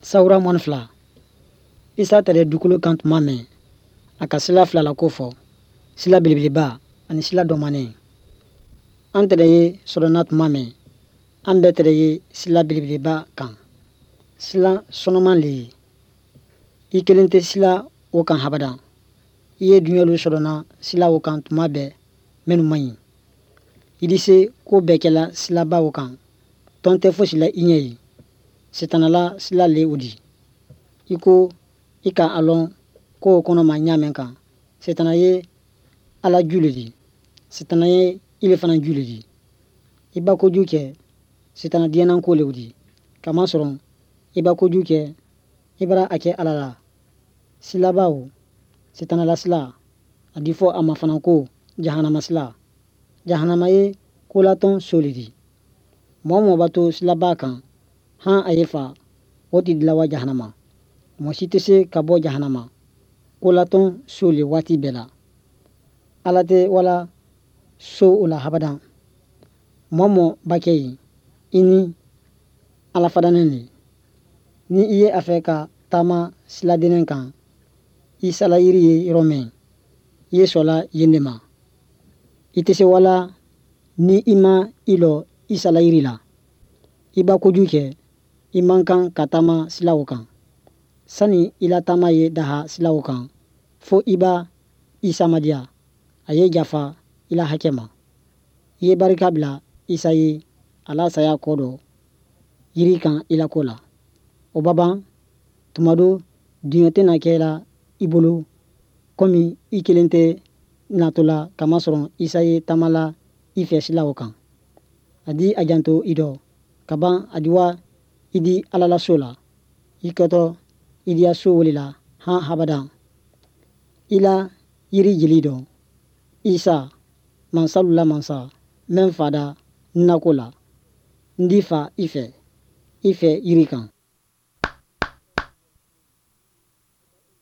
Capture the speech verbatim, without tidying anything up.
Sawura mɔni fila. Isa tɛrɛ dukolo kan tuma mɛn, a ka sila fila la ko fɔ, sila belebeleba ani sila dɔmanen. An tɛrɛ ye sɔrɔna tuma mɛn, an bɛɛ tɛrɛ ye sila belebeleba kan. Sila sɔnɔman le ye. I kelen tɛ sila o kan habada. I ye duɲɛlu sɔrɔna sila o kan tuma bɛɛ minnu man ɲi. I di se ko bɛɛ kɛla silaba o kan. Tɔn tɛ fosi la i ɲɛ ye. Sitanala sila le o di. I ko i ka a lɔn ko o kɔnɔ ma ɲa mɛn kan. Sitana ye Ala ju le di. Sitana ye ile fana ju le di. I ba kojugu kɛ, sitana diɲɛna ko le o di. Kamasɔrɔ i ba kojugu kɛ, i bara a kɛ Ala la. Silaba o, sitana la sila, a di fɔ a ma fana ko jahanama sila. Jahanama ye kolatɔn so le di. Mɔgɔ mɔgɔ b'a to silaba kan, han a ye fa, o ti dilan wa jahanama. Mɔgɔ si tɛ se ka bɔ jahanama. Kolatɔn so le waati bɛɛ la. Ala tɛ wala so o la habadan. Mɔgɔ mɔgɔ ba kɛ yen, i ni Ala fadanen le. Ni i ye a fɛ ka taama siladennen kan, i salayiri ye yɔrɔ min, i ye sɔla yen de ma. I tɛ se wala ni i ma i lɔ i salayiri la. I ba kojugu kɛ, i man kan ka taama sila o kan. Sani i la taama ye daha sila o kan, fo i ba Isa madiya. A ye jafa i la hakɛ ma. I ye barika bila Isa ye a la saya kɔ dɔ yiri kan i la ko la. O ba ban, tuma dɔ duɲɛ tɛna kɛ la i bolo komi i kelen tɛ natɔ la, kamasɔrɔ Isa ye taama la i fɛ sila o kan. A di a janto i dɔ kaban, a di wa i di Ala la so la. I kɛtɔ i diya so wele la han habada. I la yiri jeli dɔ, Isa mansalu la mansa mɛn fada nako la, n di fa i fɛ, i fɛ yiri kan.